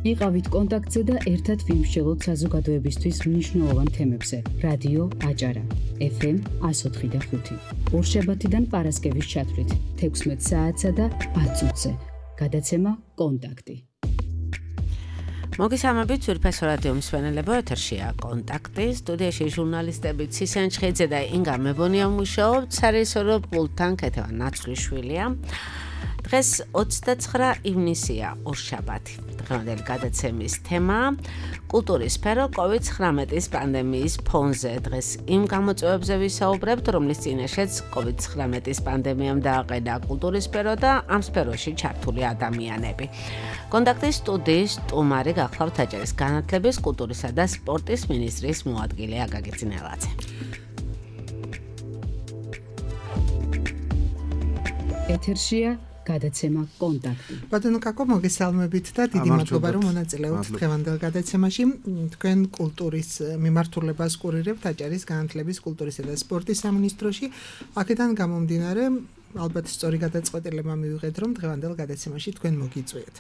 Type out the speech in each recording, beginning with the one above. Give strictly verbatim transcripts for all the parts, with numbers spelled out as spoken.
იყავით კონტაქტზე და ერთად ვიმსჯელოთ საზოგადოებისთვის მნიშვნელოვან თემებზე. რადიო აჭარა, ეფ ემ one oh four და five. ორშაბათიდან პარასკევის ჩათვლით, თექვსმეტ საათსა და ათ წუთზე. გადაცემა კონტაქტი. მოგესალმებით ძვირფას რადიო მსმენელებო, ეთერშია კონტაქტი, სტუდიაში ჟურნალისტები ცისენ ჩხეიძე და ინგა მებონია მუშაობთ, სარესორო პულტთან ქეთევან ნაცვლიშვილია. დღეს ოცდაცხრა ივნისია, ორშაბათი. დღევანდელი გადაცემის თემა კულტურის სფერო კოვიდ ცხრამეტის პანდემიის ფონზე. დღეს იმ გამოწვევებზე ვისაუბრებთ, რომლის წინაშეც კოვიდ ცხრამეტის პანდემიამ დააყენა კულტურის სფერო და ამ სფეროში ჩართული ადამიანები. კონტაქტის სტუდიის სტუმარი გახლავთ აჭარის განათლების, კულტურისა და სპორტის მინისტრის მოადგილე აკაკი წინელაძე. ეთერშია გადაცემა კონტაქტი. ბატონო კაკო, მოგესალმებით და დიდი მადლობა რომ მონაწილეობთ დღევანდელ გადაცემაში. თქვენ კულტურის მიმართულებას კურირებთ აჭარის განათლების, კულტურისა და სპორტის სამინისტროში. აქედან გამომდინარე, ალბათ სწორი გადაწყვეტილება მივიღეთ, რომ დღევანდელ გადაცემაში თქვენ მოგიწვიეთ.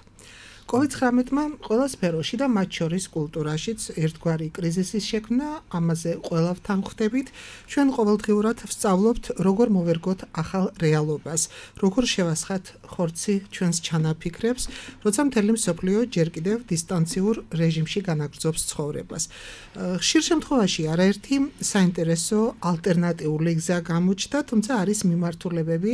კოვიდ ცხრამეტმა ყველა სფეროში და მათ შორის კულტურაშიც ერთგვარი კრიზისის შექმნა, ამაზე ყველავთან ხვდებით. ჩვენ ყოველდღიურად ვსწავლობთ, როგორ მოვერგოთ ახალ რეალობას, როგორ შევასხათ ხორცი ჩვენს ჩანაფიქრებს, როცა მთელი მსოფლიო ჯერ კიდევ დისტანციურ რეჟიმში განაგრძობს ცხოვრებას. ხშირ შემთხვევაში არაერთი საინტერესო ალტერნატიული გზა გამოჩნდა, თუმცა არის მიმართულებები,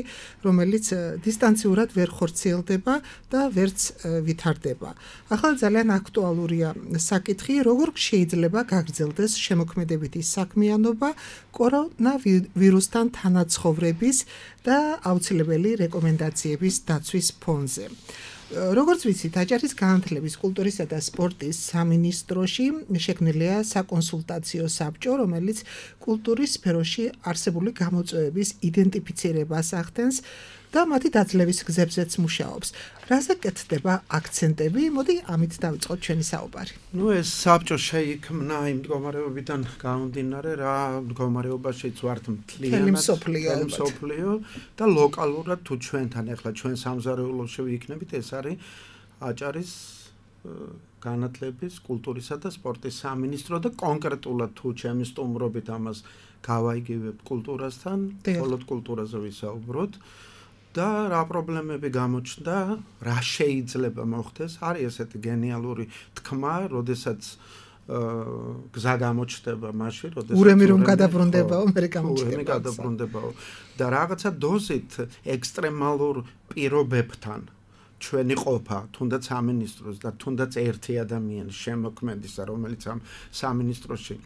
რომელიც დისტანციურად ვერ ხორციელდება და ვერც ვითარდება. ახლა ძალიან აქტუალურია საკითხი, როგორ შეიძლება გაგრძელდეს შემოქმედებითი საქმიანობა კორონავირუსთან თანაცხოვრების და აუცილებელი რეკომენდაციების დაცვის ფონზე. როგორც ვიცით, აჭარის განათლების, კულტურისა და სპორტის სამინისტროში შექმნილია საკონსულტაციო საბჭო, რომელიც კულტურის სფეროში არსებული გამოწვევების იდენტიფიცირებას ახდენს და მათი დაძლევის გზებზეც მუშაობს. რაზე კეთდება აქცენტები? მოდი ამით დავიწყოთ ჩვენი საუბარი. ნუ ეს საბჭო შეიქმნა იმ მდგომარეობიდან გამომდინარე, რა მდგომარეობაშიც ვართ მთლიანად მსოფლიო და ლოკალურად თუ ჩვენთან ახლა ჩვენ სამზარეულოში ვიქნებით, ეს არის აჭარის განათლების, კულტურისა და სპორტის სამინისტრო და კონკრეტულად თუ ჩემი სტუმრობით ამას გავაიგივებთ კულტურასთან, მხოლოდ კულტურაზე ვისაუბროთ. და რა პრობლემები გამოჩნდა, რა შეიძლება მოხდეს, არის ესეთი გენიალური თქმა, როდესაც გზა გამოჩნდება მაშინ, როდესაც ურემი რომ გადაბრუნდებაო, მე გამოჩნდება. ურემი გადაბრუნდებაო და რაღაცა დოზით ექსტრემალურ პირობებთან ჩვენი ყოფა, თუნდაც სამინისტროს და თუნდაც ერთი ადამიანის შემოქმედისა, რომელიც ამ სამინისტროში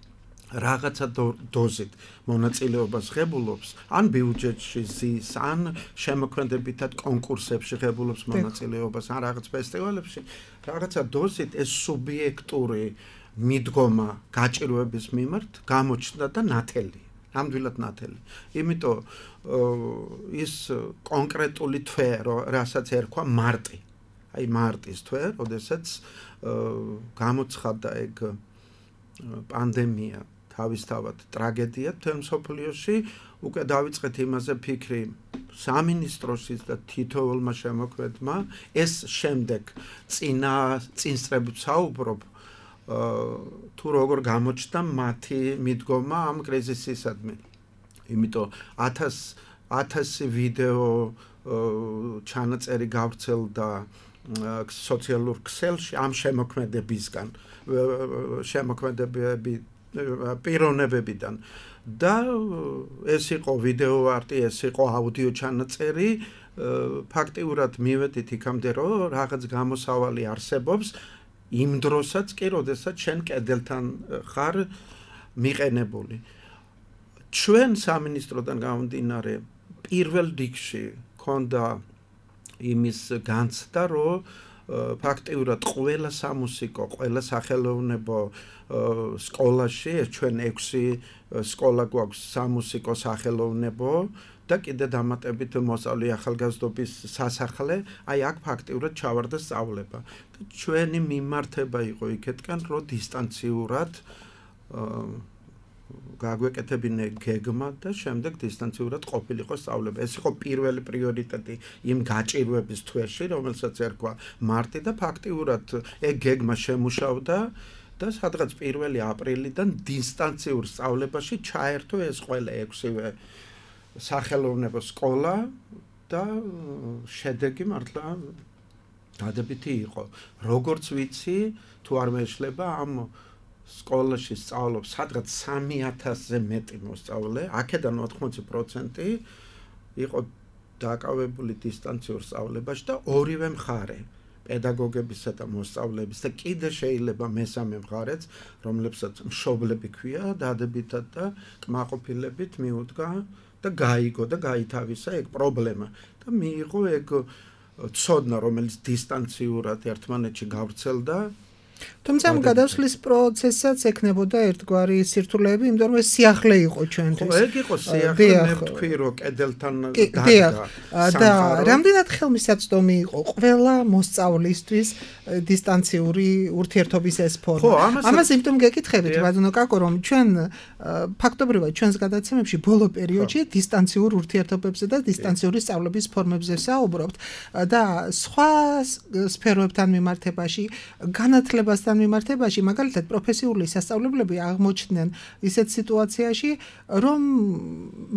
რაღაცა დოზით მონაწილეობას ღებულობს, ან ბიუჯეტში ზის, ან შემოქმედებითად კონკურსებში ღებულობს მონაწილეობას, ან რაღაც ფესტივალებში, რაღაცა დოზით ეს სუბიექტური მიდგომა გაჭირვების მიმართ გამოჩნდა და ნათელი, ნამდვილად ნათელი. იმიტომ ის კონკრეტული თვე, რასაც ერქვა მარტი, აი მარტის თვე, როდესაც გამოცხადდა ეგ პანდემია, თავისთავად ტრაგედია მთელ მსოფლიოში, უკვე დავიწყეთ იმაზე ფიქრი სამინისტროშიც და თითოეულმა შემოქმედმა, ეს შემდეგ წინა წინსწრებით საუბრობ, თუ როგორ გამოჩნდა მათი მიდგომა ამ კრიზისისადმი. იმიტომ ათასი ვიდეო ჩანაწერი გავრცელდა სოციალურ ქსელში ამ შემოქმედებისგან, შემოქმედებები პიროვნებებიდან და ეს იყო ვიდეო არტი, ეს იყო აუდიო ჩანაწერი, ფაქტიურად მივედით იქამდე, რომ რაღაც გამოსავალი არსებობს იმ დროსაც კი, როდესაც შენ კედელთან ხარ მიყენებული. ჩვენ სამინისტროდან გამომდინარე, პირველ რიგში ქონდა იმის განცდა, რომ ფაქტიურად ყველა სამუსიკო, ყველა სახელოვნებო სკოლაში, ეს ჩვენ ექვსი სკოლა გვაქვს სამუსიკო სახელოვნებო და კიდე დამატებით მოსწავლე ახალგაზრდობის სასახლე, აი აქ ფაქტიურად ჩავარდა სწავლება. ჩვენი მიმართება იყო იქეთკენ, რომ დისტანციურად გაგვეკეთებინე გეგმა და შემდეგ დისტანციურად ყოფილიყო სწავლება. ეს იყო პირველი პრიორიტეტი იმ გაჭირვების თვეში, რომელსაც ერქვა მარტი და ფაქტიურად ეგ გეგმა შემუშავდა და სადღაც პირველი აპრილიდან დისტანციურ სწავლებაში ჩაერთო ეს ყველა ექვსივე სახელოვნებო სკოლა და შედეგი მართლა დადებითი იყო. როგორც ვიცი, თუ არ მეშლება ამ სკოლაში სწავლობს სადღაც სამი ათასზე მეტი მოსწავლე, აქედან ოთხმოცი პროცენტი იყო დაკავებული დისტანციურ სწავლებაში და ორივე მხარე, პედაგოგებისა და მოსწავლეების და კიდე შეიძლება მესამე მხარეც, რომლებსაც მშობლები ქვია, დადებითად და კმაყოფილებით მიუდგა და გაიგო და გაითავისა ეგ პრობლემა და მიიღო ეგ ცოდნა, რომელიც დისტანციურად ერთმანეთში გავრცელდა. თუმცა ამ გადასვლის პროცესსაც ექნებოდა ერთგვარი სირთულეები, იმიტომ რომ ეს სიახლე იყო ჩვენთვის. ხო, ეგ იყო სიახლე, მე ვთქვი, რომ კედელთან დადგა. და რამდენად ხელმისაწვდომი იყო ყველა მოსწავლისთვის დისტანციური ურთიერთობის ეს ფორმა. ამას იმიტომ გეკითხებით, ბატონო კაკო, რომ ჩვენ ფაქტობრივად ჩვენს გადაცემებში ბოლო პერიოდში დისტანციურ ურთიერთობებზე და დისტანციური სწავლების ფორმებზე საუბრობთ და სხვა სფეროებთან მიმართებაში, განათლებასთან მიმართებაში, მაგალითად პროფესიული სასწავლებლები აღმოჩნდნენ ისეთ სიტუაციაში, რომ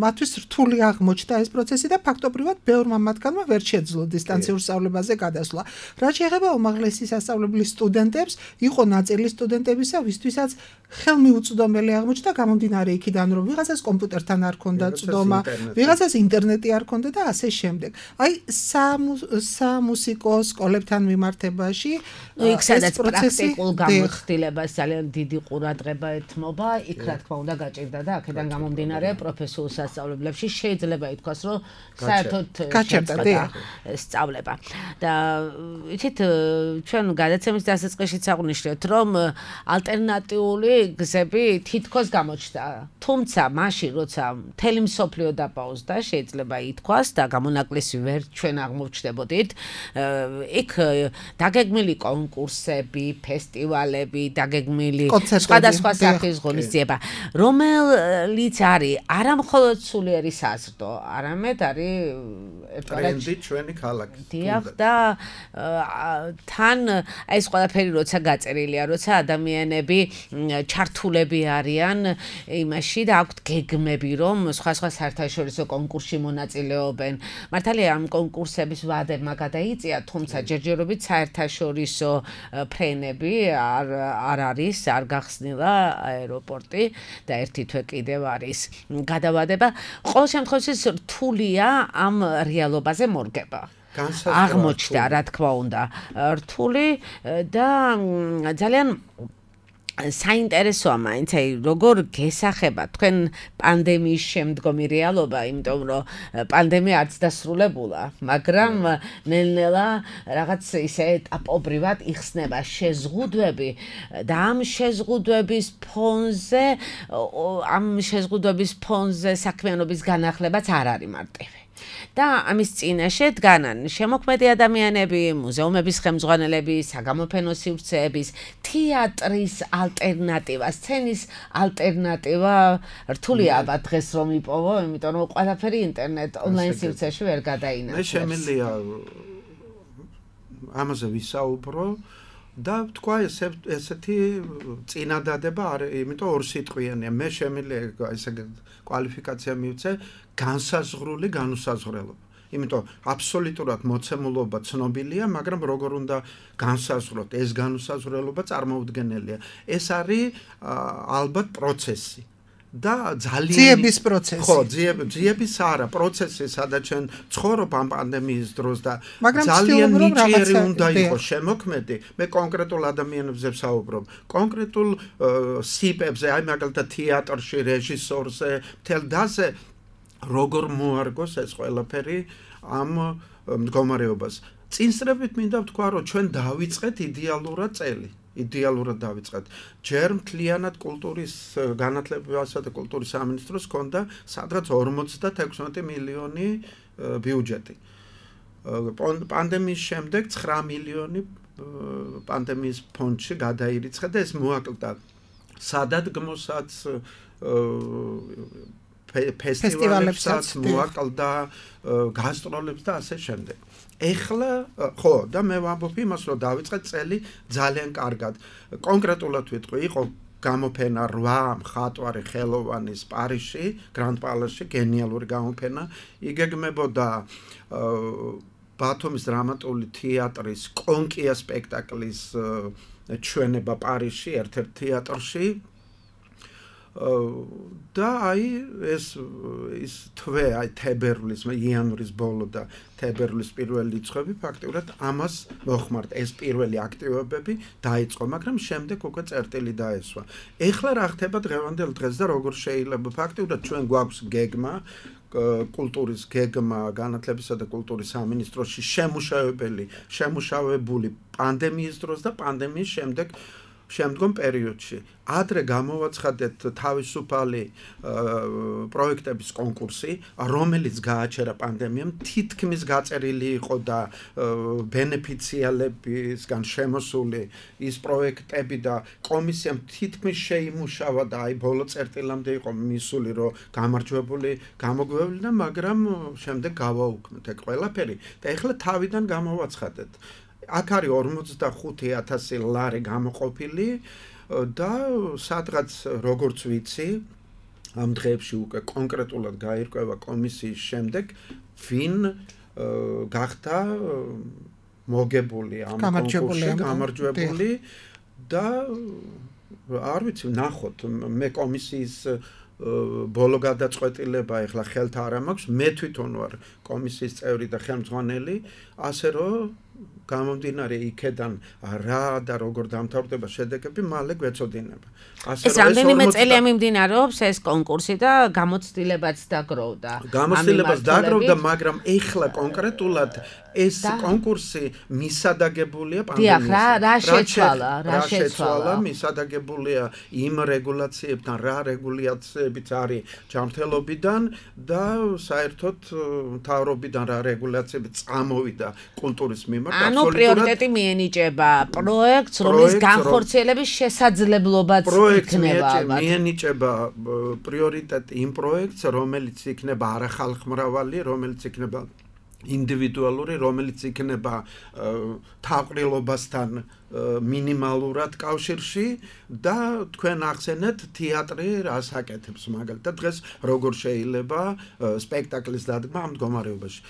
მათთვის რთული აღმოჩნდა ეს პროცესი და ფაქტობრივად ბევრმა მათგანმა ვერ შეძლო დისტანციურ სწავლებაზე გადასვლა. რაც შეეხება უმაღლესი სასწავლებლის სტუდენტებს, იყო ნაწილი სტუდენტებისა, ვისთვისაც ხელმიუწვდომელი აღმოჩნდა გამომდინარე იქიდან, რომ ვიღაცას კომპიუტერთან არ ქონდა წვდომა, ვიღაცას ინტერნეტი არ ქონდა და ასე შემდეგ. აი სამუსიკო სკოლებთან მიმართებაში იქ სადაც პრაქტიკულ გამოცდილებას ძალიან დიდი ყურადღება ეთმობა, იქ რა თქმა უნდა გაჭირდა და აქედან გამომდინარე პროფესიულ სასწავლებლებში შეიძლება ითქვას, რომ საერთოდ გაჭირდა სწავლება. და იცით, ჩვენ გადაცემის დასაწყისშიც აღვნიშნეთ, რომ ალტერნატიული გზები თითქოს გამოჩნდა. თუმცა მაშინ, როცა მთელი მსოფლიო დაპაუზდა, შეიძლება ითქვას და გამონაკლისი ვერ ჩვენ აღმოჩნდებოდით, იქ დაგეგმილი კონკურსები, ფესტივალები, დაგეგმილი სხვადასხვა სახის ღონისძიება, რომელიც არის არა მხოლოდ სულიერი საზრდო, არამედ არის ტრენდი ჩვენი ქალაქის. დიახ და თან ეს ყველაფერი როცა გაწერილია, როცა ადამიანები ჩართულები არიან იმაში და აქვთ გეგმები, რომ სხვა სხვა საერთაშორისო კონკურსში მონაწილეობენ. მართალია ამ კონკურსების ვადებმა გადაიწია, თუმცა ჯერჯერობით საერთაშორისო ფრენები არ არ არის, არ გახსნილა აეროპორტი და ერთი თვე კიდევ არის გადავადება. ყოველ შემთხვევაში რთულია ამ რეალობაზე მორგება. აღმოჩნდა, რა თქმა უნდა, რთული და ძალიან საინტერესოა მაინც, აი როგორ გესახება თქვენ პანდემიის შემდგომი რეალობა, იმიტომ რომ პანდემია არც დასრულებულა, მაგრამ ნელ-ნელა რაღაც ისე ეტაპობრივად იხსნება შეზღუდვები და ამ შეზღუდვების ფონზე ამ შეზღუდვების ფონზე საქმიანობის განახლებაც არ არის მარტივი. და ამის წინაშე დგანან შემოქმედი ადამიანები, მუზეუმების ხელმძღვანელები, საგამოფენო სივრცეების, თეატრის ალტერნატივა, სცენის ალტერნატივა რთულია აბა დღეს რომ იპოვო, იმიტომ რომ ყველაფერი ინტერნეტ ონლაინ სივრცეში ვერ გადაინაცვლებს. მე შემიძლია ამაზე ვისაუბრო და თქვა ესეთი წინადადება არის, იმიტომ ორ სიტყვიანია. მე შემიძლია ესე კვალიფიკაცია მივცე განსაზღვრული განუსაზღვრელობა. იმიტომ აბსოლუტურად მოცემულობა ცნობილია, მაგრამ როგორ უნდა განსაზღვროთ, ეს განუსაზღვრელობა წარმოუდგენელია. ეს არის ალბათ პროცესი და ძალიან ძიების პროცესი. ხო, ძიების არა, პროცესი, სადაც ჩვენ ცხოვრობ ამ პანდემიის დროს და ძალიან ნიჭიერი უნდა იყოს შემოქმედი. მე კონკრეტულ ადამიანებზე ვსაუბრობ, კონკრეტულ სიპებზე, აი მაგალითად თეატრში, რეჟისორზე, მთელ დაზე როგორ მოარგოს ეს ყველაფერი ამ მდგომარეობას. წინსწრებით მინდა ვთქვა, რომ ჩვენ დავიწყეთ იდეალურად წელი. იდეალურად დავიწყეთ. ჯერ მთლიანად კულტურის განათლებასა და კულტურის სამინისტროს ჰქონდა სადღაც ორმოცდაექვსმეტი მილიონი ბიუჯეტი. პანდემიის შემდეგ ცხრა მილიონი პანდემიის ფონდში გადაირიცხა და ეს მოაკლდა სადადგმოსაც, ფესტივალებსაც მოაკლდა, გასტროლებს და ასე შემდეგ. ეხლა ხო და მე ვამბობ იმას, რომ დავიწყეთ წელი ძალიან კარგად. კონკრეტულად ვიტყვი, იყო გამოფენა რვა მხატვარი ხელოვანის პარიზში, გრანდ პალასში, გენიალური გამოფენა. იგეგმებოდა ბათუმის დრამატული თეატრის კონკია სპექტაკლის ჩვენება პარიზში, ერთ-ერთ თეატრში. და აი ეს ის თვე, აი თებერვლის, იანვრის ბოლო და თებერვლის პირველი რიცხვები ფაქტიურად ამას მოხმართ. ეს პირველი აქტივობები დაიწყო, მაგრამ შემდეგ უკვე წერტილი დაესვა. ეხლა რა ხდება დღევანდელ დღეს და როგორ შეიძლება ფაქტიურად ჩვენ გვაქვს გეგმა, კულტურის გეგმა განათლებისა და კულტურის სამინისტროში შემუშავებელი, შემუშავებული პანდემიის დროს და პანდემიის შემდეგ შემდგომ პერიოდში. ადრე გამოვაცხადეთ თავისუფალი პროექტების კონკურსი, რომელიც გააჩერა პანდემიამ, თითქმის გაწერილი იყო და ბენეფიციალებისგან შემოსული ის პროექტები და კომისიამ თითქმის შეიმუშავა და აი ბოლო წერტილამდე იყო მისული, რომ გამარჯვებული, გამოგვევლინა, მაგრამ შემდეგ გავაუქმეთ ეგ ყველაფერი და ეხლა თავიდან გამოვაცხადეთ. აქ არის ორმოცდახუთი ათასი ლარი გამოყოფილი და სადღაც როგორც ვიცი ამ დღეებში უკვე კონკრეტულად გაირკვევა კომისიის შემდეგ ვინ გახდა მოგებული ამ კონკურსში გამარჯვებული და არ ვიცი ნახოთ მე კომისიის ბოლო გადაწყვეტილება ეხლა ხელთ არ მაქვს მე თვითონ ვარ კომისიის წევრი და ხელმძღვანელი ასე რომ გამომდინარე იქედან რა და როგორ დამთავრდება შედეგები მალე გვეწოდინება. ეს რამდენიმე წელია მიმდინარეობს ეს კონკურსი და გამოცდილებაც დაგროვდა. გამოცდილებას დაგროვდა, მაგრამ ეხლა კონკრეტულად ეს კონკურსი მისადაგებულია პანდემიისგან. დიახ, რა რა შეცვალა, რა შეცვალა, მისადაგებულია იმ რეგულაციებთან, რა რეგულაციებიც არის ჯანმრთელობიდან და საერთოდ მთავრობიდან რა რეგულაციები წამოვიდა კულტურის მიმართ. ანუ პრიორიტეტი მიენიჭება პროექტს, რომლის განხორციელების შესაძლებლობაც იქნება. მიენიჭება პრიორიტეტი იმ პროექტს, რომელიც იქნება არახალხმრავალი, რომელიც იქნება ინდივიდუალური, რომელიც იქნება თავყრილობასთან მინიმალურად კავშირში და თქვენ ახსენეთ თეატრი რას აკეთებს მაგალითად დღეს როგორ შეიძლება სპექტაკლის დადგმა ამ მდგომარეობაში.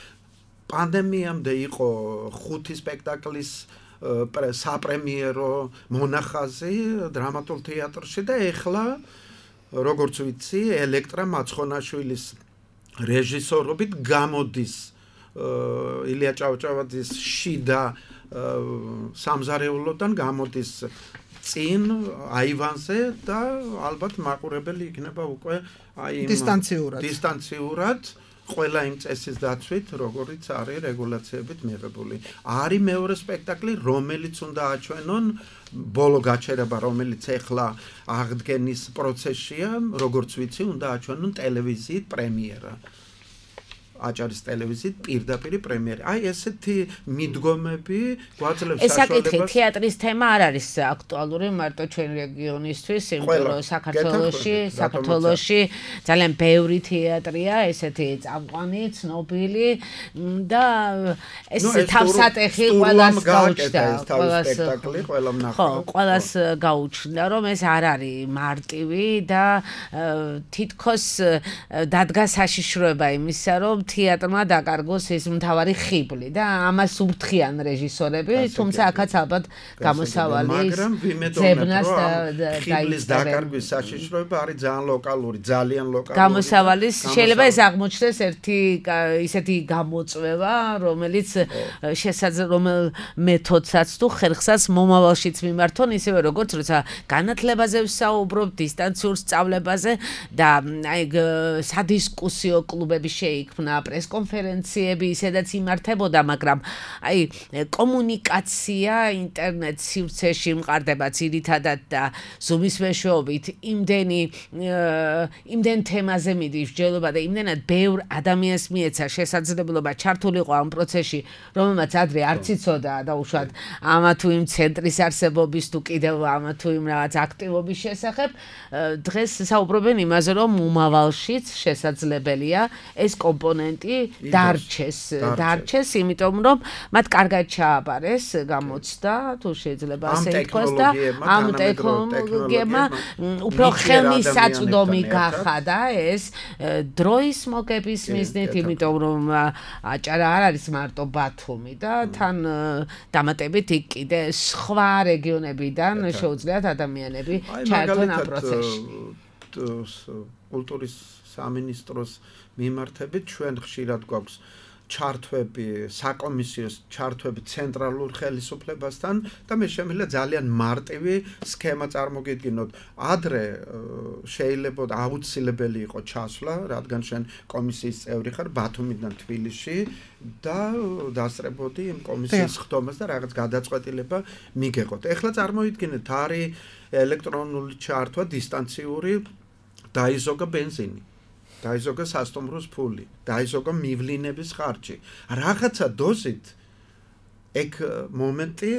პანდემიამდე იყო ხუთი სპექტაკლის საპრემიერო მონახაზი დრამატულ თეატრში და ეხლა როგორც ვიცი ელექტრა მაცხონაშვილის რეჟისორობით გამოდის ილია ჭავჭავაძის შიდა სამზარეულოდან გამოდის წინ აივანზე და ალბათ მაყურებელი იქნება უკვე აი დისტანციურად დისტანციურად ყველა იმ წესის დაცვით, როგორიც არის რეგულაციებით მიღებული. არის მეორე სპექტაკლი, რომელიც უნდა აჩვენონ ბოლო გაჩერება, რომელიც ეხლა აღდგენის პროცესშია, როგორც ვიცი, უნდა აჩვენონ ტელევიზიით პრემიერა. აჭარის ტელევიზიით პირდაპირ პრემიერი. აი ესეთი მიდგომები გვაძლევს საშუალებას. ეს საკითხი თეატრის თემა არ არის აქტუალური მარტო ჩვენ რეგიონისთვის, იმიტომ რომ საქართველოში, საქართველოში ძალიან ბევრი თეატრია, ესეთი წამყვანი, ცნობილი და ეს თავსატეხი ყველას გაუჩნდა, ყველას სპექტაკლი, ყველა ნახა. ხო, ყველას გაუჩნდა, რომ ეს არ არის მარტივი და თითქოს დადგა საშიშროება იმისა, რომ თეატრმა დაკარგოს ეს მთავარი ხიბლი და ამას უფრთხიან რეჟისორები, თუმცა აქაც ალბათ გამოსავალი მაგრამ ვიმედოვნებ, რომ ხიბლის დაკარგვის საშიშროება არის ძალიან ლოკალური, ძალიან ლოკალური. გამოსავალი შეიძლება ეს აღმოჩნდეს ერთი ისეთი გამოწვევა, რომელიც შესაძლოა მეთოდსაც თუ ხერხსაც მომავალშიც მიმართონ, ისევე როგორც როცა განათლებაზე ვსაუბრობ, დისტანციურ სწავლებაზე და აი სადისკუსიო კლუბები შეიქმნა პრესკონფერენციები ისედაც იმართებოდა, მაგრამ აი კომუნიკაცია ინტერნეტ სივრცეში მყარდება ძირითადად და Zoom-ის მეშვეობით იმდენი იმდენ თემაზე მიდის მსჯელობა და იმდენად ბევრ ადამიანს მიეცა შესაძლებლობა ჩართულიყო ამ პროცესში, რომელმაც ადრე არც იცოდა და უშუალოდ ამა თუ იმ ცენტრის არსებობის თუ კიდევ ამა თუ იმ რაღაც აქტივობის შესახებ, დღეს საუბრობენ იმაზე, რომ მომავალშიც შესაძლებელია ეს კომპონენტი დარჩეს, დარჩეს, იმიტომ რომ მათ კარგად ჩააბარეს გამოცდა, თუ შეიძლება ასე ითქვას და ამ ტექნოლოგიებმა უფრო ხელმისაწვდომი გახადა ეს დროის მოგების მიზნით, იმიტომ რომ აჭარა არ არის მარტო ბათუმი და თან დამატებით იქ კიდე სხვა რეგიონებიდან შეუძლიათ ადამიანები ჩაერთონ ამ პროცესში. კულტურის სამინისტროს მიმართებით ჩვენ ხშირად გვაქვს ჩართვები საკომისიოს ჩართვები ცენტრალურ ხელისუფლებასთან და მე შემიძლია ძალიან მარტივი სქემა წარმოგიდგინოთ. ადრე შეიძლება აუცილებელი იყო ჩასვლა, რადგან შენ კომისიის წევრი ხარ ბათუმიდან თბილისში და დასწრებოდი იმ კომისიის ხდომას და რაღაც გადაწყვეტილება მიგეყოთ. ეხლა წარმოიდგინეთ, არის ელექტრონული ჩართვა დისტანციური, დაიზოგა ბენზინი, დაიზოგა სასტუმროს ფული, დაიზოგა მივლინების ხარჯი. რაღაცა დოზით ეგ მომენტი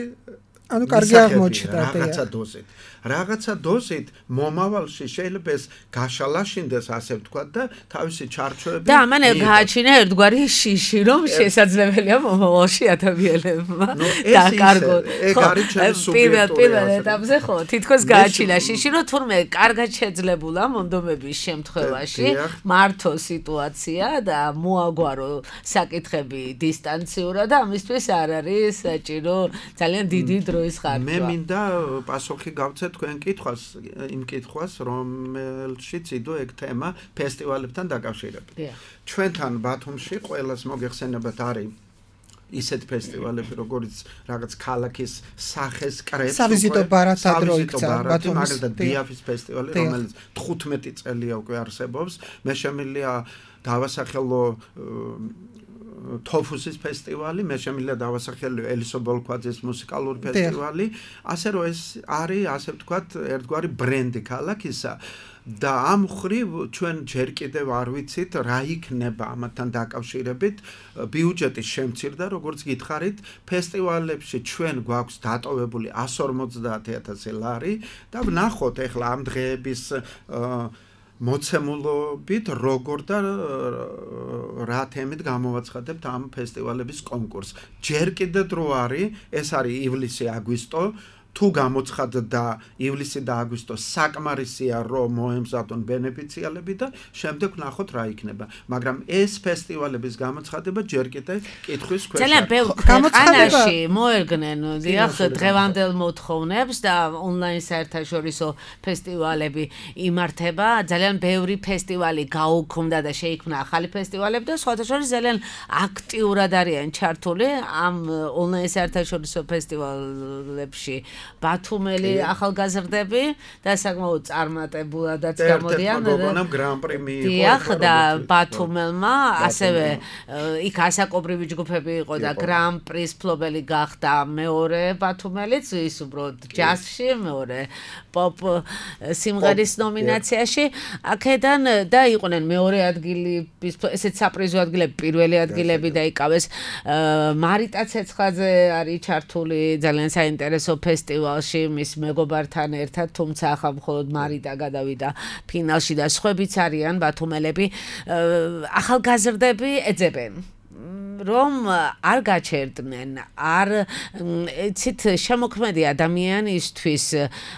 ანუ კარგი აღმოჩნდა რაღაცა დოზით. რაღაცა დოზით მომავალში შეიძლება ეს გაშალაშინდეს, ასე ვთქვათ და თავისი ჩარჩოები და ამან გააჩინა ერთგვარი შიში, რომ შესაძლებელია მომავალში ადამიანებმა დაკარგონ. ეგ არის ჩემი სუბიექტური პირველ ეტაპზე ხო, თითქოს გააჩინა შიში, რომ თურმე კარგად შეძლებულა მომდომების შემთხვევაში მართო სიტუაცია და მოაგვარო საკითხები დისტანციურად და ამისთვის არ არის საჭირო ძალიან დიდი დროის ხარჯვა. მე მინდა პასუხი გავცე თქვენ კითხვას, იმ კითხვას, რომელშიც იდო ეგ თემა ფესტივალებთან დაკავშირებით. ჩვენთან ბათუმში ყველას მოგეხსენებათ არის ისეთ ფესტივალები, როგორც რაღაც ქალაქის სახეს კრებს, სავიზიტო ბარათად რო იქცა ბათუმის, მაგალითად დიაფის ფესტივალი, რომელიც თხუთმეტი წელია უკვე არსებობს. მე შემიძლია დავასახელო თოფუსის ფესტივალი, მე შემიძლია დავასახელო ელისო ბოლქვაძის მუსიკალური ფესტივალი, ასე რომ ეს არის, ასე ვთქვათ, ერთგვარი ბრენდი ქალაქისა და ამ ხრივ ჩვენ ჯერ კიდევ არ ვიცით რა იქნება ამათთან დაკავშირებით. ბიუჯეტი შემცირდა, როგორც გითხარით, ფესტივალებში ჩვენ გვაქვს დატოვებული εκατს ორმოცდაათი ათასი ლარი და ვნახოთ ახლა ამ დღეების მოცემულობით როგორ და რა თემით გამოვაცხადებთ ამ ფესტივალების კონკურსს. ჯერ კიდევ დრო არის, ეს არის ივლისი-აგვისტო. თუ გამოცხადდა ივლისი და აგვისტო საკმარისია რომ მოემზადონ ბენეფიციალები და შემდეგ ვნახოთ რა იქნება. მაგრამ ეს ფესტივალების გამოცხადება ჯერ კიდევ კითხვის ქვეშ. ძალიან ბევრ ქვეყანაში მოერგნენ დიახ დღევანდელ მოთხოვნებს და ონლაინ საერთაშორისო ფესტივალები იმართება. ძალიან ბევრი ფესტივალი გაუქმდა და შეიქმნა ახალი ფესტივალები და სხვათა შორის ძალიან აქტიურად არიან ჩართული ამ ონლაინ საერთაშორისო ფესტივალებში. ბათუმელი ახალგაზრდები და საკმაოდ წარმატებულადაც გამოდიან. დიახ და ბათუმელმა ასევე იქ ასაკობრივი ჯგუფები იყო და გრან-პრის მფლობელი გახდა მეორე ბათუმელიც, ის უბრალოდ ჯაზში, მეორე პოპ სიმღერის ნომინაციაში. აქედან და იყვნენ მეორე ადგილი, ესეც საპრიზო ადგილები, პირველი ადგილები დაიკავეს. მარიტა ცეცხლაძე არის ჩართული ძალიან საინტერესო ფესტივალში მის მეგობართან ერთად, თუმცა ახლა მხოლოდ მარიტა გადავიდა ფინალში და სხვაებიც არიან ბათუმელები. ახალგაზრდები ეძებენ რომ არ გაჩერდნენ, არ იცით შემოქმედი ადამიანისთვის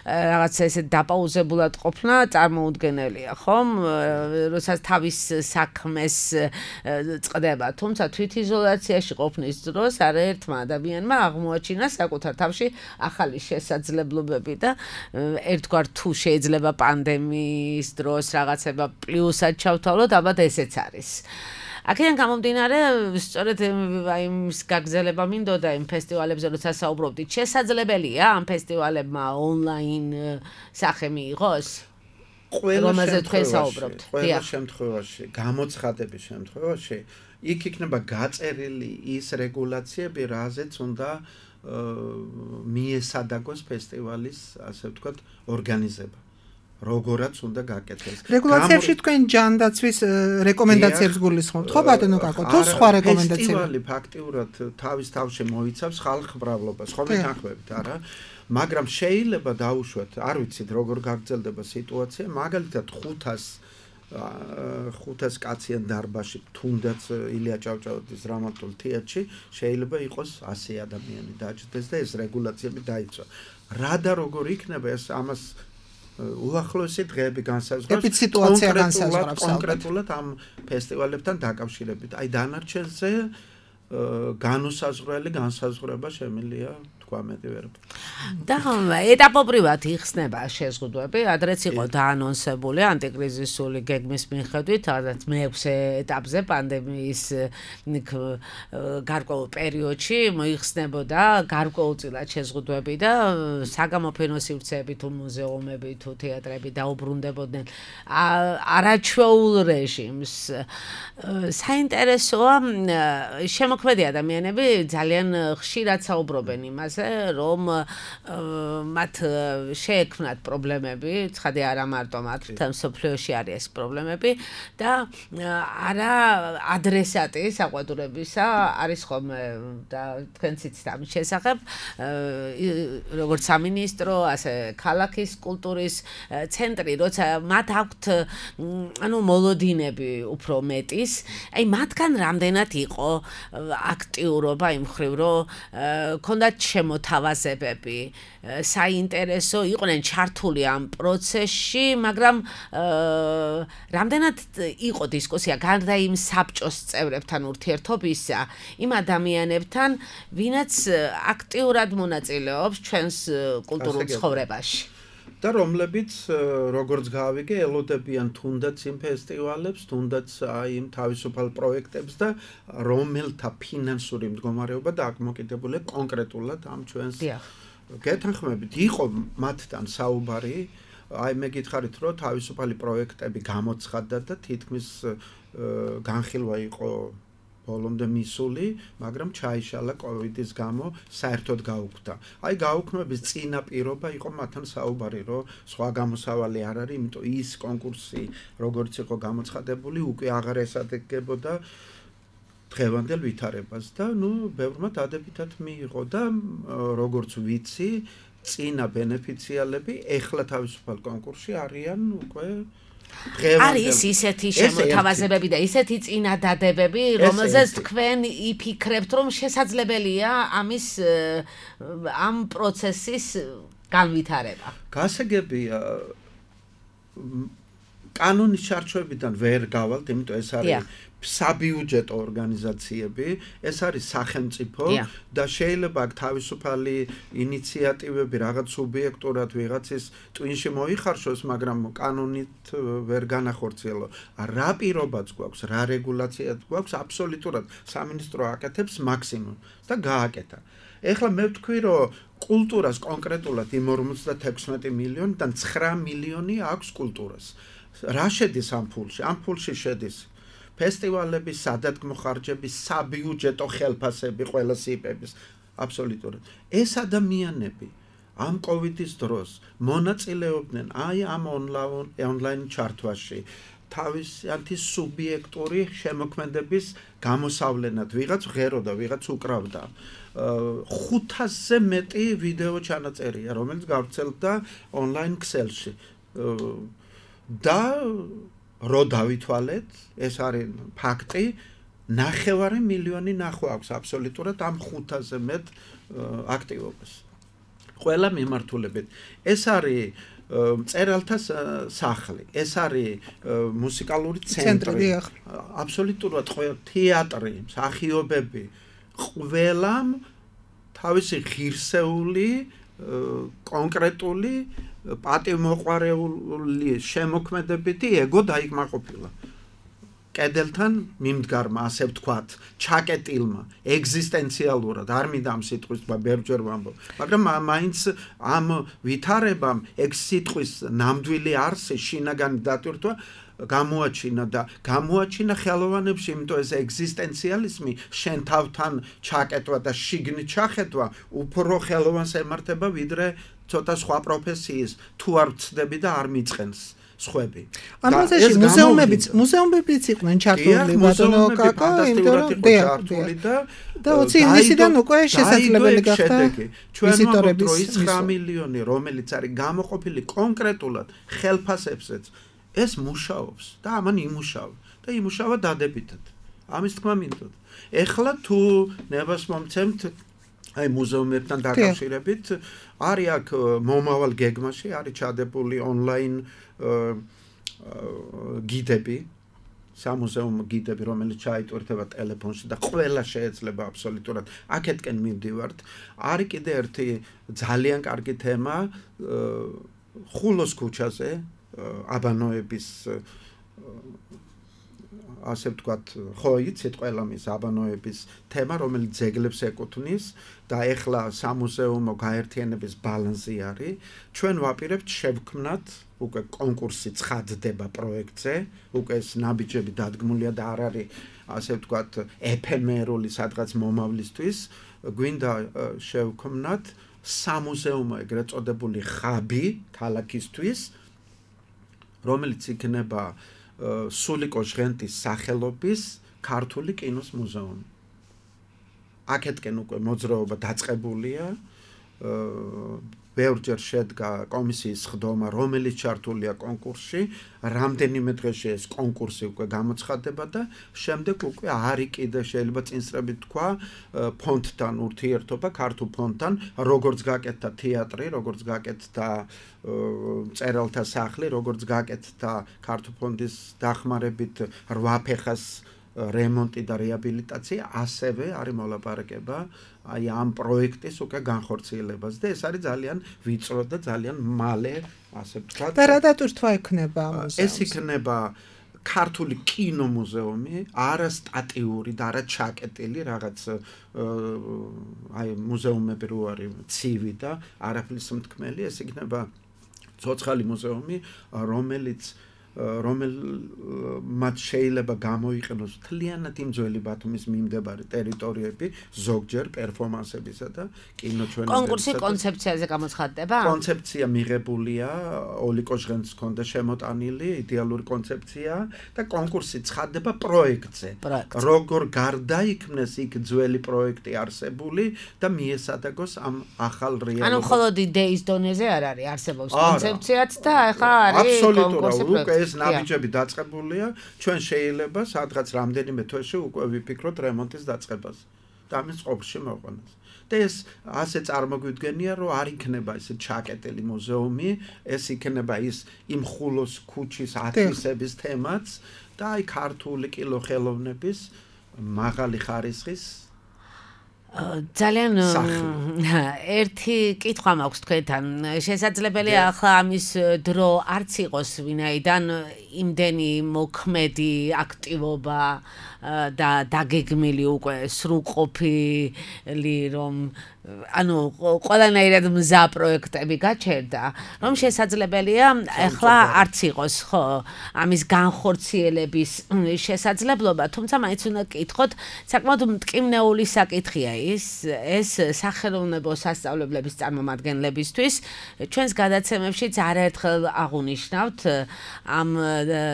რაღაცა ესე დაპაუზებულად ყოფნა წარმოუდგენელია, ხომ? როდესაც თავის საქმეს წდება, თუმცა თვითიზოლაციაში ყოფნის დროს არაერთმა ადამიანმა აღმოაჩინა საკუთარ თავში ახალი შესაძლებლობები და ერთგვარ თუ შეიძლება პანდემიის დროს რაღაცება პლუსად ჩავთვალოთ, ალბათ ესეც არის. აქედან გამომდინარე, სწორედ აი ის გაგრძელება მინდოდა იმ ფესტივალებზე, როცა საუბრობდით, შესაძლებელია ამ ფესტივალებმა ონლაინ სახე მიიღოს? ყველა შემთხვევაში, ყველა შემთხვევაში, გამოცხადების შემთხვევაში იქ იქნება გაწერილი ის რეგულაციები, რაზეც უნდა მიესადაგოს ფესტივალის, ასე ვთქვათ, ორგანიზება. როგორაც უნდა გაკეთდეს. რეგულაციებში თქვენ ჯანდაცვის რეკომენდაციებს გულისხმობთ, ხო ბატონო კაკო, თუ სხვა რეკომენდაციები? ფესტივალი ფაქტიურად თავის თავში მოიცავს ხალხმრავლობას, ხო მეთანხმებით, არა? მაგრამ შეიძლება დაუშვათ, არ ვიცით როგორ გაგრძელდება სიტუაცია, მაგალითად ხუთას ხუთას კაციან დარბაზში, თუნდაც ილია ჭავჭავაძის დრამატულ თეატრში შეიძლება იყოს ასი ადამიანი დაჯდეს და ეს რეგულაციები დაიცვა. რა და როგორ იქნება ეს ამას უახლოესი დღეები განსაზღვრავს სიტუაცია განსაზღვრავს კონკრეტულად ამ ფესტივალებთან დაკავშირებით. აი დანარჩენზე განუსაზღვრელი განსაზღვრება შემიძლია თქვა მეტი ვერ. და ეტაპობრივად იხსნება შეზღუდვები, ადრეც იყო დაანონსებული ანტიკრიზისული გეგმის მიხედვით, სადაც მეექვსე ეტაპზე პანდემიის გარკვეულ პერიოდში მოიხსნებოდა გარკვეულწილად შეზღუდვები და საგამოფენო სივრცეები თუ მუზეუმები თუ თეატრები დაუბრუნდებოდნენ არაჩვეულ რეჟიმს. საინტერესოა შემოქმედი ადამიანები ძალიან ხშირად საუბრობენ იმაზე, რომ მათ შეექმნათ პრობლემები, ცხადია არა მარტო მათ, თუმცა სოფლიოში არის ეს პრობლემები და არა ადრესატი საყვედურებისა არის ხოლმე და თქვენც იცით ამის შესახებ, როგორც სამინისტრო, ასე ქალაქის კულტურის ცენტრი, როცა მათ აქვთ ანუ მოლოდინები უფრო მეტის, აი მათგან რამდენად იყო აქტიურობა იმ მხრივ, რომ ქონდათ შემოთავაზებები, საინტერესო იყვნენ ჩართული ამ პროცესში, მაგრამ რამდენად იყო დისკუსია გარდა იმ საბჭოს წევრებთან ურთიერთობისა, იმ ადამიანებთან, ვინაც აქტიურად მონაწილეობს ჩვენს კულტურულ ცხოვრებაში. და რომლებიც როგორც გავიგე ელოდებიან თუნდაც იმ ფესტივალებს, თუნდაც აი იმ თავისუფალ პროექტებს და რომელთა ფინანსური მდგომარეობა დააკმოკიდებულია კონკრეტულად ამ ჩვენს გეთანხმებით. იყო მათთან საუბარი, აი მე გითხარით, რომ თავისუფალი პროექტები გამოცხადდა და თითქმის განხილვა იყო ბოლომდე მისული, მაგრამ ჩაიშალა კოვიდის გამო საერთოდ გაუქმდა. აი გაუქმების წინა პირობა იყო მათთან საუბარი, რომ სხვა გამოსავალი არ არის, იმიტომ ის კონკურსი, როგორც იყო გამოცხადებული, უკვე აღარ ესადეგებოდა დღევანდელ ვითარებას და ნუ ბევრმა დადებითად მიიღო და როგორც ვიცი, წინა ბენეფიციალები ეხლა თავისუფალ კონკურსში არიან უკვე არის ისეთი შემოთავაზებები და ისეთი წინადადებები, რომელზეც თქვენ იფიქრებთ, რომ შესაძლებელია ამის ამ პროცესის განვითარება. გასაგებია კანონის ჩარჩოებიდან ვერ გავალთ, იმიტომ ეს არის საბიუჯეტო ორგანიზაციები, ეს არის სახელმწიფო და შეიძლება აქ თავისუფალი ინიციატივები რაღაც სუბიექტურად ვიღაცის ტვინში მოიხარშოს, მაგრამ კანონით ვერ განახორციელო. რა პირობაც გვაქვს, რა რეგულაციაც გვაქვს, აბსოლუტურად სამინისტრო აკეთებს მაქსიმუმს და გააკეთა. ეხლა მე ვთქვი, რომ კულტურას კონკრეტულად იმ ორმოცდათექვსმეტი მილიონიდან ცხრა მილიონი აქვს კულტურას. რა შედის ამ ფულში? ამ ფულში შედის ფესტივალების, სადადგმო ხარჯების, საბიუჯეტო ხელფასები, ყველა სიპების, აბსოლუტურად. ეს ადამიანები ამ კოვიდის დროს მონაწილეობდნენ აი ამ ონლაინ ჩართვაში, თავისიანთი სუბიექტური შემოქმედების გამოსავლენად, ვიღაც ღეროდა, ვიღაც უკრავდა. ხუთასზე მეტი ვიდეო ჩანაწერია, რომელიც გავრცელდა ონლაინ ქსელში. და რო დავითვალეთ, ეს არის ფაქტი, ნახევარი მილიონი ნახვა აქვს აბსოლუტურად ამ ხუთასზე მეტ აქტივობას. ყველა მიმართულებით. ეს არის მწერალთა სახლი, ეს არის მუსიკალური ცენტრი, აბსოლუტურად ყველა თეატრი, მსახიობები, ყველამ თავისი ღირსეული, კონკრეტული პატივმოყვარეული შემოქმედებითი ეგო დაიკმაყოფილა. კედელთან მიმდგარმა, ასე ვთქვათ, ჩაკეტილმა, ეგზისტენციალურად, არ მინდა ამ სიტყვის თქვა, ბევრჯერ ვამბობ, მაგრამ მაინც ამ ვითარებამ ეგ სიტყვის ნამდვილი არსი, შინაგანი დატვირთვა გამოაჩინა და გამოაჩინა ხელოვანებში, იმიტომ ეს ეგზისტენციალიზმი შენ თავთან ჩაკეტვა და შიგნით ჩახედვა უფრო ხელოვანს ემართება ვიდრე ცოტა სხვა პროფესიის თუ არ ვწდები და არ მიწყენს სხვები. ამ პროცესში მუზეუმებიც მუზეუმებიც იყვნენ ჩართული ბატონო კაკა, ჩართული და და ოცი ივნისიდან უკვე შესაძლებელი გახდა ვიზიტორების ცხრა მილიონი, რომელიც არის გამოყოფილი კონკრეტულად ხელფასებზეც, ეს მუშაობს და ამან იმუშავა და იმუშავა დადებითად. ამის თქმა მინდოდა. ეხლა თუ ნებას მომცემთ აი მუზეუმებთან დაკავშირებით არის აქ მომავალ გეგმაში არის ჩადებული ონლაინ გიდები, სამუზეუმო გიდები, რომელიც ჩაიტვირთება ტელეფონში და ყველა შეეძლება აბსოლუტურად აქეთკენ მივდივართ. არის კიდე ერთი ძალიან კარგი თემა ხულოს ქუჩაზე, აბანოების ასე ვთქვათ, ხო იცით ყველა მის აბანოების თემა, რომელიც ძეგლებს ეკუთვნის და ეხლა სამუზეუმო გაერთიანების ბალანსი არის. ჩვენ ვაპირებთ შევქმნათ უკვე კონკურსი ცხადდება პროექტზე, უკვე ეს ნაბიჯები დადგმულია და არ არის ასე ვთქვათ ეფემერული სადღაც მომავლისთვის. გვინდა შევქმნათ სამუზეუმო ეგრეთ წოდებული ხაბი ქალაქისთვის, რომელიც იქნება სულიკო ჟღენტის სახელობის ქართული კინოს მუზეუმი. აქეთკენ უკვე მოძრაობა დაწყებულია. ბევრჯერ შედგა კომისიის ხდომა, რომელიც ჩართულია კონკურსში. რამდენიმე დღეში ეს კონკურსი უკვე გამოცხადდება და შემდეგ უკვე არის კიდე შეიძლება წინსრებით თქვა ფონდთან ურთიერთობა, ქართულ ფონდთან, როგორც გაკეთდა თეატრი, როგორც გაკეთდა მწერალთა სახლი, როგორც გაკეთდა ქართულ ფონდის დახმარებით რვა ფეხას რემონტი და რეაბილიტაცია, ასევე არის მოლაპარაკება აი ამ პროექტის უკვე განხორციელებას და ეს არის ძალიან ვიწრო და ძალიან მალე, ასე ვთქვათ. და რა დატვირთვა ექნება მუზეუმს? ეს იქნება ქართული კინომუზეუმი, არა სტატიური და არა ჩაკეტილი რაღაც აი მუზეუმები რო არის ცივი და არაფრის მთქმელი, ეს იქნება ცოცხალი მუზეუმი, რომელიც რომელმაც შეიძლება გამოიყენოს მთლიანად იმ ძველი ბათუმის მიმდებარე ტერიტორიები, ზოგჯერ პერფორმანსებისა და კინოჩვენებისა. კონკურსი კონცეფციაზე გამოცხადდება? კონცეფცია მიღებულია, ოლიკო ჟღენტს ჰქონდა შემოტანილი იდეალური კონცეფცია და კონკურსი ცხადდება პროექტზე. როგორ გარდაიქმნეს იქ ძველი პროექტი არსებული და მიესადაგოს ამ ახალ რეალობას. ანუ მხოლოდ იდეის დონეზე არ არის, არსებობს კონცეფციაც და ახლა არის კონკურსი პროექტი. ეს ნაბიჯები დაწყებულია, ჩვენ შეიძლება სადღაც რამდენიმე თვეში უკვე ვიფიქროთ რემონტის დაწყებას და ამის ყოფში მოყვანას. და ეს ასე წარმოგვიდგენია, რომ არ იქნება ესე ჩაკეტილი მუზეუმი, ეს იქნება ის იმ ხულოს ქუჩის ათვისების თემაც და აი ქართული კინოხელოვნების მაღალი ხარისხის ძალიან ერთი კითხვა მაქვს თქვენთან. შესაძლებელია ახლა ამის დრო არც იყოს, ვინაიდან იმდენი მოქმედი აქტივობა და დაგეგმილი უკვე სრულყოფილი, რომ ანუ ყველანაირად მზა პროექტები გაჩერდა, რომ შესაძლებელია ახლა არც იყოს ხო ამის განხორციელების შესაძლებლობა, თუმცა მაინც უნდა კითხოთ, საკმაოდ მტკივნეული საკითხია ის, ეს სახელოვნებო სასწავლებლების წარმომადგენლებისთვის. ჩვენს გადაცემებშიც არაერთხელ აღუნიშნავთ ამ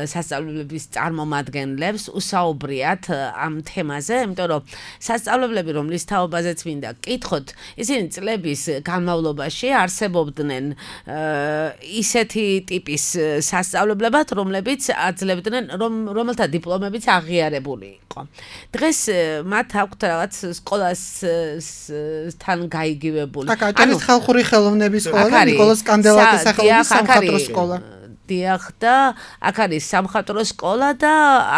სასწავლებლების წარმომადგენლებს, უსაუბრიათ ამ თემაზე, იმიტომ რომ სასწავლებლები, რომლის თაობაზეც მინდა კითხოთ, ისინი წლების განმავლობაში არსებობდნენ ისეთი ტიპის სასწავლებლებად, რომლებიც აძლევდნენ, რომელთა დიპლომებიც აღიარებული იყო. დღეს მათ აქვთ რაღაც სკოლასთან გაიგივებული. ანუ ხალხური ხელოვნების სკოლა და ნიკოლოზ კანდელაკის სახელობის სამხატვრო სკოლა. დიახ და აქ არის სამხატვრო სკოლა და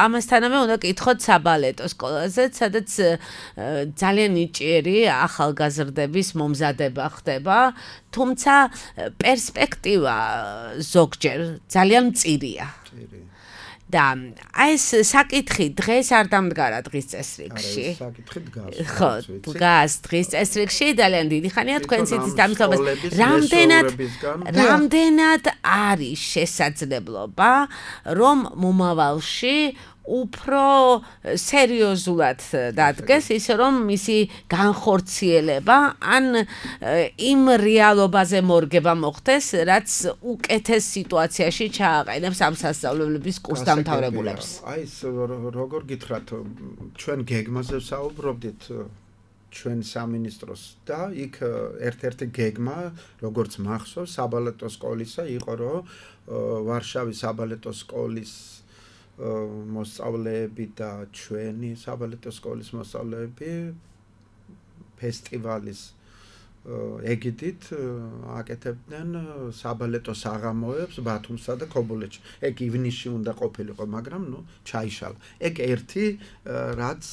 ამასთანავე უნდა კითხოთ საბალეტო სკოლაზე, სადაც ძალიან ნიჭიერი ახალგაზრდების მომზადება ხდება, თუმცა პერსპექტივა ზოგჯერ ძალიან მწირია. და აი ეს საკითხი დღეს არ დამდგარა დღის წესრიგში. არა, საკითხი დგას. ხო, დგას დღის წესრიგში, ძალიან დიდი ხანია თქვენს იცის დამთავრებას. რამდენად რამდენად არის შესაძლებლობა, რომ მომავალში უფრო სერიოზულად დადგეს ისე რომ მისი განხორციელება ან იმ რეალობაზე მორგება მოხდეს, რაც უკეთეს სიტუაციაში ჩააყენებს ამ სასწავლებლების კურს დამთავრებულებს. აი ეს როგორ გითხრათ, ჩვენ გეგმაზე საუბრობდით ჩვენ სამინისტროს და იქ ერთ-ერთი გეგმა, როგორც მახსოვს, საბალეტო სკოლისა იყო, რომ ვარშავის საბალეტო სკოლის მოსწავლეები და ჩვენი საბალეტო სკოლის მოსწავლეები ფესტივალის ეგიდით აკეთებდნენ საბალეტო საღამოებს ბათუმსა და ქობულეთში. ეგ ივნისში უნდა ყოფილიყო, მაგრამ ნუ ჩაიშალა. ეგ ერთი რაც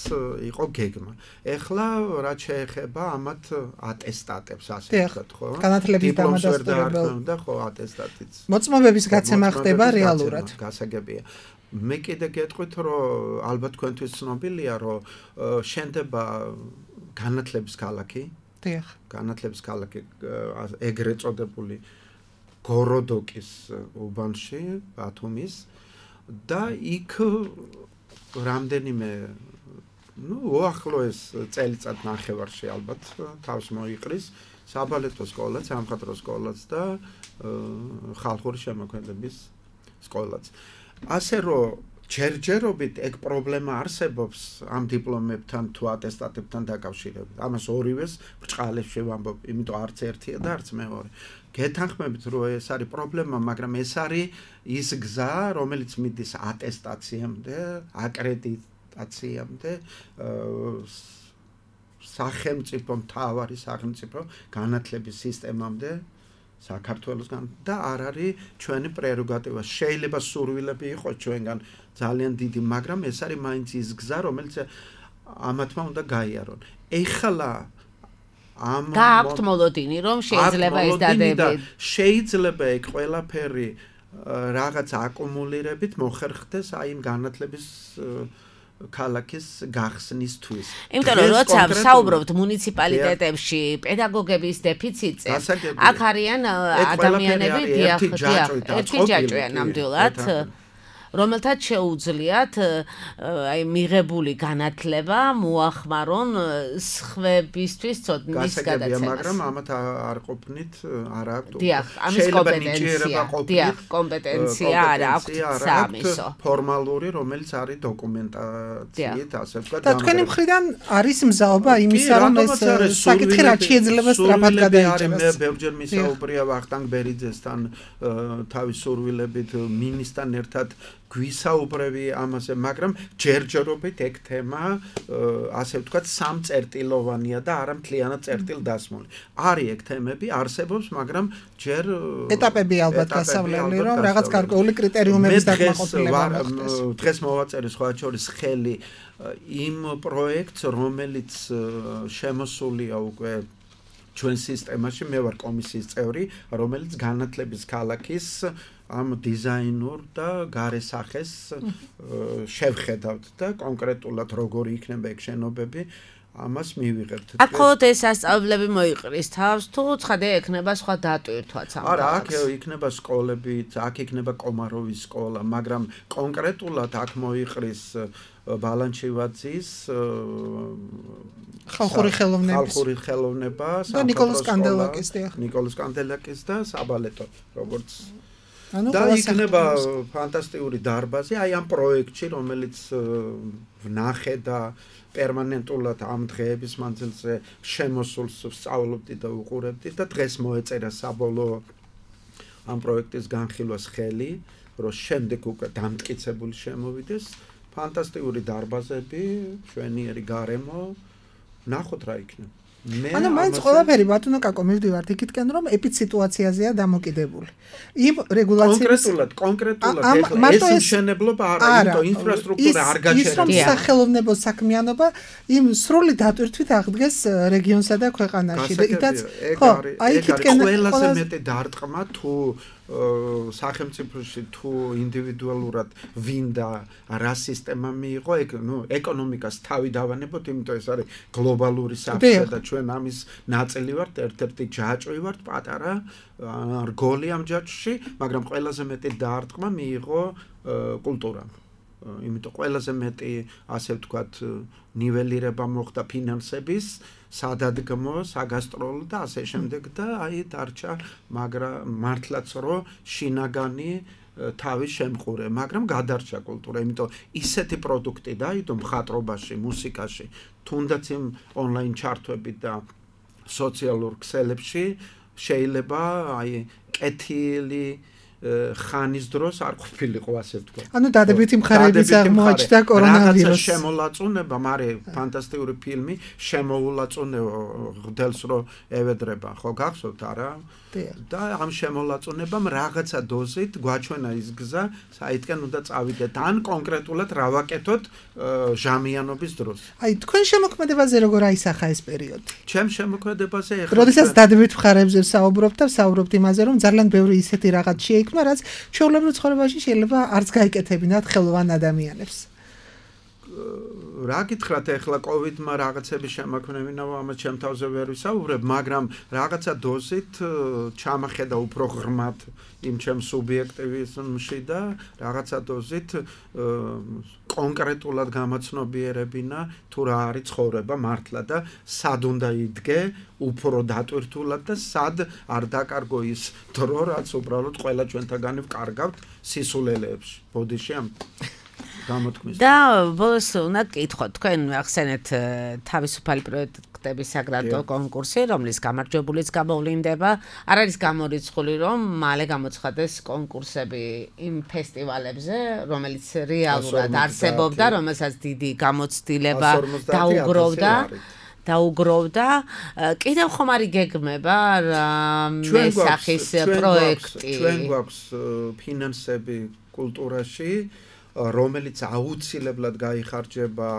იყო გეგმა. ეხლა რაც შეეხება ამათ ატესტატებს, ასე ვთქვათ, ხო? განათლების დამადასტურებელ და ხო ატესტატიც. მოწმობების გაცემა ხდება რეალურად. გასაგებია. მე კიდე გეტყვით, რომ ალბათ თქვენთვის ცნობილია, რომ შენდება განათლების ქალაქი. დიახ. განათლების ქალაქი ეგრეთ წოდებული გოროდოკის უბანში, ბათუმის და იქ რამდენიმე ნუ უახლოეს წელიწად ნახევარში ალბათ თავს მოიყრის საბალეტო სკოლაც, სამხატვრო სკოლაც და ხალხური შემოქმედების სკოლაც. ასე რომ ჯერჯერობით ეგ პრობლემა არსებობს ამ დიპლომებთან თუ ატესტატებთან დაკავშირებით. ამას ორივეს ბრჭყალებში ვამბობ, იმიტომ არც ერთია და არც მეორე. გეთანხმებით, რომ ეს არის პრობლემა, მაგრამ ეს არის ის გზა, რომელიც მიდის ატესტაციამდე, აკრედიტაციამდე, სახელმწიფო მთავარი სახელმწიფო განათლების სისტემამდე. საქართველოსგან და არ არის ჩვენი პრეროგატივა. შეიძლება სურვილები იყოს ჩვენგან ძალიან დიდი, მაგრამ ეს არის მაინც ის გზა, რომელიც ამათმა უნდა გაიარონ. ეხლა ამ გააქვთ მოლოდინი, რომ შეიძლება ეს დადები. შეიძლება ეგ ყველაფერი რაღაც აკუმულირებით მოხერხდეს აი იმ განათლების ქალაქის გახსნისთვის. იმიტომ რომ როცა საუბრობთ მუნიციპალიტეტებში პედაგოგების დეფიციტზე, აქ არიან ადამიანები, დიახ, დიახ, ერთი ჯაჭვია ნამდვილად, რომელთაც შეუძლიათ აი მიღებული განათლება მოახმარონ სხვებისთვის ცოდნის გადაცემას. მაგრამ ამათ არ ყოფნით, არ აქვთ. დიახ, ამის კომპეტენცია, დიახ, კომპეტენცია არ აქვთ სამისო. ფორმალური, რომელიც არის დოკუმენტაციით, ასე ვთქვათ. და თქვენი მხრიდან არის მზაობა იმისა, რომ ეს საკითხი რაც შეიძლება სწრაფად გადაიჭერას. მე ბევრჯერ მისაუბრია ვახტანგ ბერიძესთან თავის სურვილებით მინისტრთან ერთად გვისაუბრები ამაზე, მაგრამ ჯერჯერობით ეგ თემა ასე ვთქვათ სამწერტილოვანია და არა მთლიანად წერტილდასმული. არის ეგ თემები, არსებობს, მაგრამ ჯერ ეტაპები ალბათ გასავლელი, რომ რაღაც გარკვეული კრიტერიუმების დაკმაყოფილება მოხდეს. დღეს მოვაწერე სხვა შორის ხელი იმ პროექტს, რომელიც შემოსულია უკვე ჩვენ სისტემაში, მე ვარ კომისიის წევრი, რომელიც განათლების ქალაქის ამ დიზაინურ და გარესახეს შევხედავთ და კონკრეტულად როგორი იქნება ეგ შენობები, ამას მივიღებთ. აქ მხოლოდ ეს სასწავლებლები მოიყრის თავს, თუ ცხადია ექნება სხვა დატვირთვაც ამ არა, აქ იქნება სკოლები, აქ იქნება კომაროვის სკოლა, მაგრამ კონკრეტულად აქ მოიყრის ბალანჩივაძის ხალხური ხელოვნება ხალხური ხელოვნება და ნიკოლოზ კანდელაკის და ნიკოლოზ კანდელაკის და საბალეტო, როგორც და იქნება ფანტასტიკური დარბაზი აი ამ პროექტში, რომელიც ვნახე და პერმანენტულად ამ დღეების მანძილზე შემოსულს ვსწავლობდი და უყურებდი და დღეს მოეწერა საბოლოო ამ პროექტის განხილვას ხელი, რომ შემდეგ უკვე დამტკიცებული შემოვიდეს ფანტასტიკური დარბაზები, მშვენიერი გარემო, ნახოთ რა იქნება. ანუ მაინც ყველაფერი ბატონო კაკო მივდივართ იქითკენ რომ ეპიციტუაციაზეა დამოკიდებული. იმ რეგულაციების კონკრეტულად, კონკრეტულად ეხლა ეს მშენებლობა არა, იმიტომ ინფრასტრუქტურა არ გაჩერდა. ის რომ სახელოვნებო საქმიანობა იმ სრული დატვირთვით აღდგეს რეგიონსა და ქვეყანაში და იტაც ხო, აი იქითკენ ყველაზე მეტი დარტყმა თუ სახელმწიფოში თუ ინდივიდუალურად ვინდა რა სისტემა მიიღო, ეგ ნუ ეკონომიკას თავი დავანებოთ, იმიტომ ეს არის გლობალური საფრთხე და ჩვენ ამის ნაწილი ვართ, ერთ-ერთი ჯაჭვი ვართ, პატარა რგოლი ამ ჯაჭვში, მაგრამ ყველაზე მეტი დარტყმა მიიღო კულტურამ. იმიტომ ყველაზე მეტი ასე ვთქვათ ნიველირება მოხდა ფინანსების, სადადგმო, საგასტროლო და ასე შემდეგ და აი დარჩა მაგრამ მართლაც რო შინაგანი თავის შემყურე, მაგრამ გადარჩა კულტურა, იმიტომ ისეთი პროდუქტი დაიდო მხატვრობაში, მუსიკაში, თუნდაც იმ ონლაინ ჩარტვებით და სოციალურ ქსელებში შეიძლება აი კეთილი ხანის დროს არ ყოფილიყო ასე ვთქვა. ანუ დადებითი მხარეებიც აღმოაჩნდა კორონავირუსს. რაღაცა შემოლაწუნება, მაგრამ ფანტასტიკური ფილმი შემოულაწუნე ღდელს რო ევედრება, ხო გახსოვთ არა? და ამ შემოლაწუნებამ რაღაცა დოზით გვაჩვენა ის გზა, საითკენ უნდა წავიდეთ, ან კონკრეტულად რა ვაკეთოთ ჟამიანობის დროს. აი თქვენ შემოქმედებაზე როგორ აისახა ეს პერიოდი? ჩემ შემოქმედებაზე ეხლა როდესაც დადებითი მხარეებზე ვსაუბრობთ და ვსაუბრობთ იმაზე, რომ ძალიან ბევრი ისეთი რაღაც შეიქმნა, რაც ჩვეულებრივ ცხოვრებაში შეიძლება არც გაიკეთებინათ ხელოვან ადამიანებს. რა გითხრათ ეხლა კოვიდმა რაღაცები შემოქმნებინა, ამას ჩემ თავზე ვერ ვისაუბრებ, მაგრამ რაღაცა დოზით ჩამახედა უფრო ღრმად იმ ჩემ სუბიექტივიზმში და რაღაცა დოზით კონკრეტულად გამაცნობიერებინა თუ რა არის ცხოვრება მართლა და სად უნდა იდგე უფრო დატვირთულად და სად არ დაკარგო ის დრო, რაც უბრალოდ ყველა ჩვენთაგანი ვკარგავთ სისულელეებში, ბოდიში ამ და ბოლოს უნდა გკითხოთ, თქვენ ახსენეთ თავისუფალი პროექტების საგრანტო კონკურსი, რომლის გამარჯვებულიც გამოვლინდება, არ არის გამორიცხული, რომ მალე გამოცხადეს კონკურსები იმ ფესტივალებზე, რომელიც რეალურად არსებობდა, რომელსაც დიდი გამოცდილება დაუგროვდა. დაუგროვდა. კიდევ ხომ არის გეგმება მესახის პროექტი. ჩვენ გვაქვს ფინანსები კულტურაში, რომელიც აუცილებლად გაიხარჯება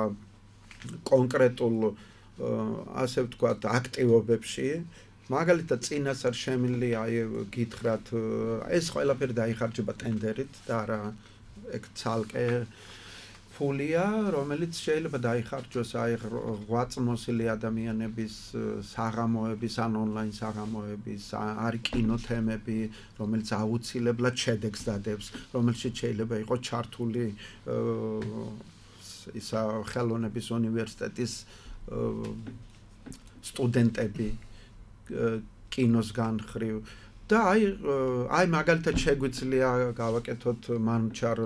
კონკრეტულ ასე ვთქვათ აქტივობებში, მაგალითად წინასწარ შემილი აი გითხრათ ეს ყველაფერი დაიხარჯება ტენდერით და არა ეგ ცალკე ფულია, რომელიც შეიძლება დაიხარჯოს აი ღვაწლმოსილი ადამიანების საღამოების ან ონლაინ საღამოების, არის კინოთემები, რომელიც აუცილებლად შედეგს დადებს, რომელშიც შეიძლება იყოს ჩართული ისა ხელოვნების უნივერსიტეტის სტუდენტები კინოს განხრივ და აი აი მაგალითად შეგვიძლია გავაკეთოთ მანჩარ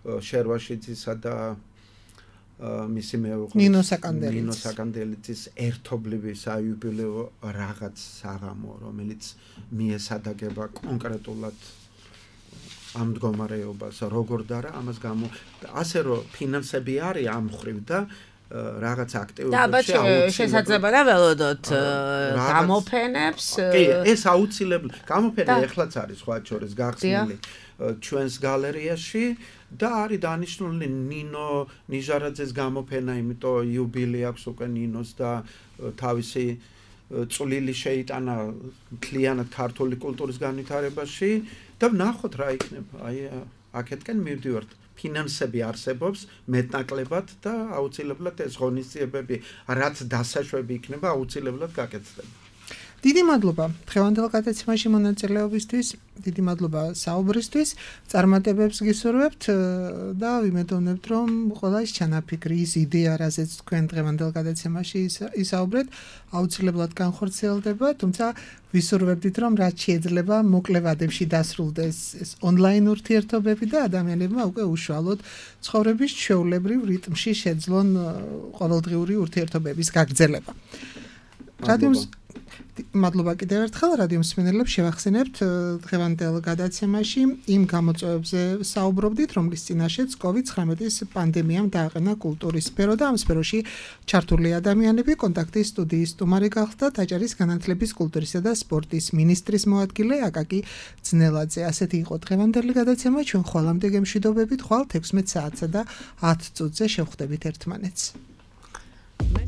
შერვაშიძისა და მისი მეუღლის ნინო საკანდელიძის ნინო საკანდელიძის ერთობლივი საიუბილეო რაღაც საღამო, რომელიც მიესადაგება კონკრეტულად ამ მდგომარეობას, როგორ და რა ამას გამო ასე რომ ფინანსები არის ამ ხრივ და რაღაც აქტივობებში აუცილებლად შესაძლებელია ველოდოთ გამოფენებს. კი, ეს აუცილებლად გამოფენა ეხლაც არის სხვა შორის გახსნილი ჩვენს გალერეაში და არის დანიშნული ნინო ნიჟარაძეს გამოფენა, იმიტომ იუბილე აქვს უკვე ნინოს და თავისი წვლილი შეიტანა მთლიანად ქართული კულტურის განვითარებაში და ვნახოთ რა იქნება. აი აქეთკენ მივდივართ. ფინანსები არსებობს მეტნაკლებად და აუცილებლად ეს ღონისძიებები, რაც დასაშვები იქნება, აუცილებლად გაკეთდება. დიდი მადლობა დღევანდელ გადაცემაში მონაწილეობისთვის, დიდი მადლობა საუბრისთვის, წარმატებებს გისურვებთ და ვიმედოვნებთ, რომ ყველა ის ჩანაფიქრი, ის იდეა, რაზეც თქვენ დღევანდელ გადაცემაში ისაუბრეთ, აუცილებლად განხორციელდება, თუმცა ვისურვებდით, რომ რაც შეიძლება მოკლე ვადებში დასრულდეს ეს ონლაინ ურთიერთობები და ადამიანებმა უკვე უშუალოდ ცხოვრების ჩვეულებრივ რიტმში შეძლონ ყოველდღიური ურთიერთობების გაგრძელება. რადიოს მადლობა კიდევ ერთხელ რადიო მსმენელებს შევახსენებთ დღევანდელ გადაცემაში იმ გამოწვევებზე საუბრობდით, რომლის წინაშეც კოვიდ ცხრამეტის პანდემიამ დააყენა კულტურის სფერო და ამ სფეროში ჩართული ადამიანები. კონტაქტის სტუდიის სტუმარი გახდა დაჭერის განათლების, კულტურისა და სპორტის მინისტრის მოადგილე აკაკი ძნელაძე. ასეთი იყო დღევანდელი გადაცემა. ჩვენ ხვალამდე გემშვიდობებით, ხვალ თექვსმეტ საათსა და ათ წუთზე შევხვდებით ერთმანეთს.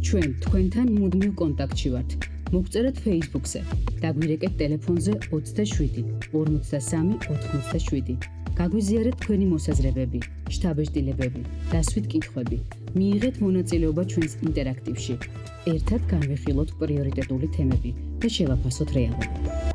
ჩვენ თქვენთან მუდმივ კონტაქტში ვართ. მოგწერეთ Facebook-ზე, დაგვირეკეთ ტელეფონზე ოცდაშვიდი ორმოცდასამი ოთხმოცდაშვიდი. გაგვიზიარეთ თქვენი მოსაზრებები, შთაბეჭდილებები, დასვით კითხვები. მიიღეთ მონაწილეობა ჩვენს ინტერაქტივში. ერთად განვიხილოთ პრიორიტეტული თემები და შევაფასოთ რეალობა.